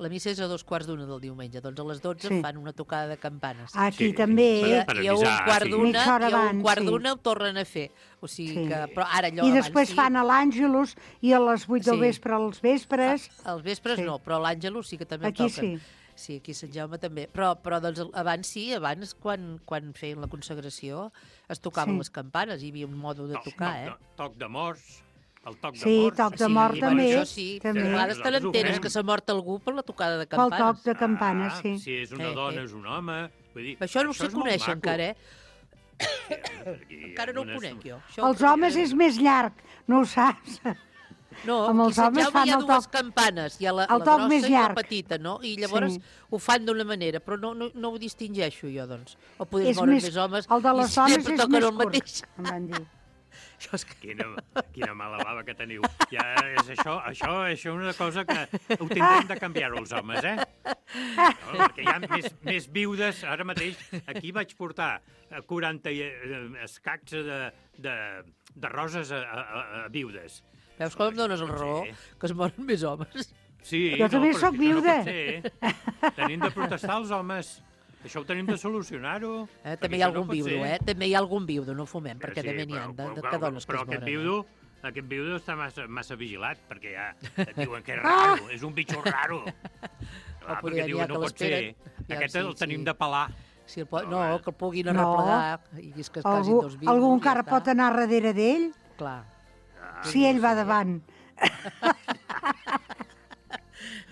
S12: la missa és a 2:15 del diumenge, doncs a les 12 fan una tocada de campanes.
S10: Aquí també.
S12: I a 1:15 ho tornen a fer. O sigui que, però ara allò
S10: I després fan a l'Àngelus i a les 8 del vespre als vespres.
S12: Als vespres no, però a l'Àngelus sí que també
S10: toquen.
S12: Aquí sí. Sí, aquí a Sant Jaume també. Però doncs abans quan feien la consagració es tocaven les campanes, hi havia un mode de tocar,
S14: Toc de morts, el toc de morts.
S10: Sí, toc de mort també.
S12: Això sí, a vegades te l'enteres que s'ha mort algú per la tocada de campanes.
S10: Pel toc de campanes, sí.
S14: Si és una dona, és un home. Vull dir,
S12: això no se coneix encara, Encara no ho conec jo.
S10: Els homes és més llarg, no ho saps.
S12: No, aquí a Sant Jaume hi ha dues campanes, hi ha la grossa i la petita, no? I llavors ho fan d'una manera, però no ho distingeixo jo, doncs. O poder moren més homes
S10: el de les dones és més
S12: curt,
S10: em van dir.
S14: Quina mala bava que teniu. Ja és això és una cosa que ho tindrem de canviar-ho els homes, eh? No, perquè hi ha més viudes. Ara mateix aquí vaig portar 40 escacs de roses a viudes.
S12: Veus com em dones la raó? Que es moren més homes.
S14: Sí,
S10: jo també soc viuda.
S14: Tenim de protestar els homes. Això ho tenim de solucionar-ho.
S12: També hi ha algun viudo, També hi ha algun viudo, no fumem, perquè també n'hi ha de dones que es moren.
S14: Però aquest viudo està massa vigilat, perquè ja et diuen que és raro, és un bitxo raro. Perquè diuen, no pot ser. Aquest el tenim de pelar.
S12: No, que el puguin arreplegar.
S10: Algú encara pot anar darrere d'ell?
S12: Clar.
S10: Si ell va davant.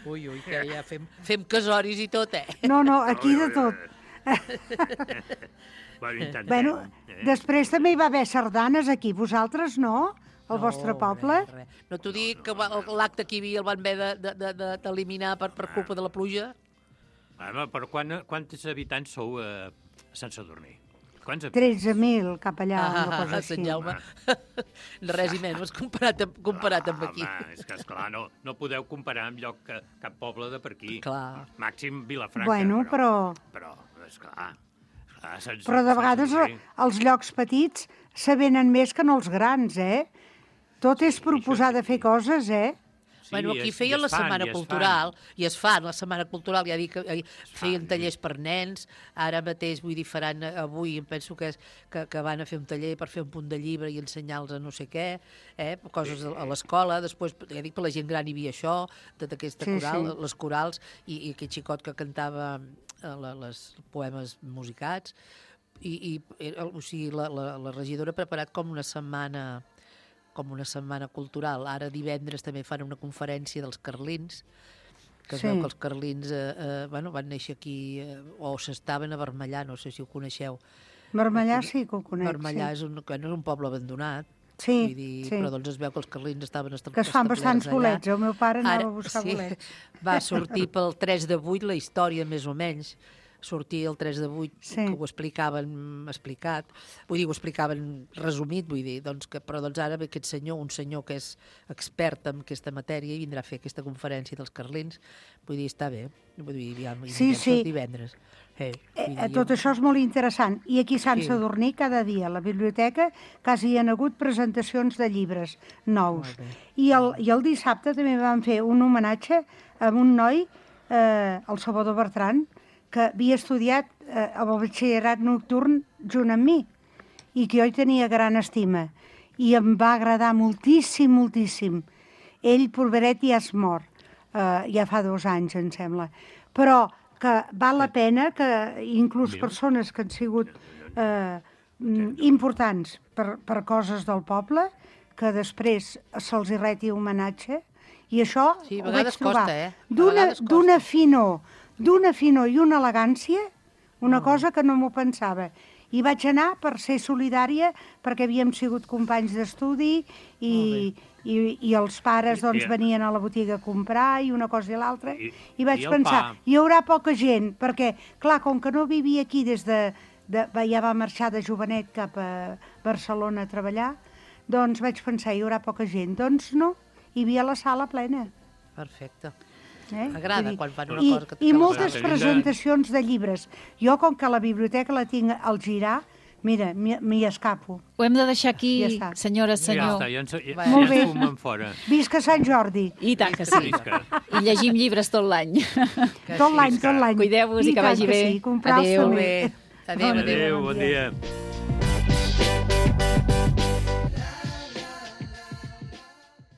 S12: Ui, que ja fem casoris i tot,
S10: No, aquí de tot. Bueno, després també hi va haver sardanes aquí. Vosaltres no? Al vostre poble?
S12: No t'ho dic que l'acte que hi havia el van haver d'eliminar per culpa de la pluja?
S14: Però quants habitants sou a Sant Sadurní?
S10: 13.000 cap allà, una cosa
S12: així. A Sant Jaume. Res i menys comparat amb aquí.
S14: Home, és que, esclar, no podeu comparar amb lloc cap poble de per aquí.
S12: Clar.
S14: Màxim Vilafranca.
S10: Bueno, però...
S14: Però, esclar,
S10: Però de vegades els llocs petits se venen més que no els grans, Tot és proposar de fer coses,
S12: Bueno, aquí feien la Setmana Cultural, i es fan la Setmana Cultural, ja dic, feien tallers per nens, ara mateix, vull dir, faran avui, em penso que van a fer un taller per fer un punt de llibre i ensenyar-los a no sé què, coses a l'escola, després, ja dic, per la gent gran hi havia això, d'aquesta coral, les corals, i aquell xicot que cantava els poemes musicats, o sigui, la regidora ha preparat com una setmana cultural. Ara divendres també fan una conferència dels carlins, que es veu que els carlins van néixer aquí, o s'estaven a Vermellà, no sé si ho coneixeu.
S10: Vermellà sí que ho conec.
S12: Vermellà és un poble abandonat,
S10: sí.
S12: Però doncs es veu que els carlins estaven establerts
S10: allà. Que es fan bastants bolets, el meu pare anava a buscar bolets.
S12: Va sortir pel 3 de 8 la història, més o menys, sortia el 3 de 8, que ho explicaven explicat, vull dir, ho explicaven resumit, vull dir, però ara ve aquest senyor, un senyor que és expert en aquesta matèria, i vindrà a fer aquesta conferència dels carlins, vull dir, està bé, vull dir, divendres.
S10: Tot això és molt interessant. I aquí a Sant Sadurní, cada dia, a la biblioteca, quasi hi ha hagut presentacions de llibres nous. I el dissabte també vam fer un homenatge a un noi, el Salvador Bertran, que havia estudiat el batxillerat nocturn junt amb mi i que jo hi tenia gran estima. I em va agradar moltíssim, moltíssim. Ell, pobret, ja es mor. Ja fa 2 anys, em sembla. Però que val la pena que inclús persones que han sigut importants per coses del poble, que després se'ls hi reti homenatge, i això ho vaig trobar d'una finor i una elegància, una cosa que no m'ho pensava. I vaig anar per ser solidària, perquè havíem sigut companys d'estudi i els pares venien a la botiga a comprar i una cosa i l'altra. I vaig pensar, hi haurà poca gent, perquè, clar, com que no vivia aquí ja va marxar de jovenet cap a Barcelona a treballar, doncs vaig pensar, hi haurà poca gent. Doncs no, hi havia la sala plena.
S12: Perfecte. M'agrada quan fan una cosa que...
S10: I moltes presentacions de llibres. Jo, com que la biblioteca la tinc al girar, mira, m'hi escapo.
S2: Ho hem de deixar aquí, senyora, senyor.
S14: Ja està,
S10: molt bé.
S14: Fora.
S10: Visca Sant Jordi.
S2: I tant que sí. I llegim llibres tot l'any.
S10: Tot l'any.
S2: Cuideu-vos i que vagi bé.
S10: Adéu.
S12: Adéu,
S14: bon dia.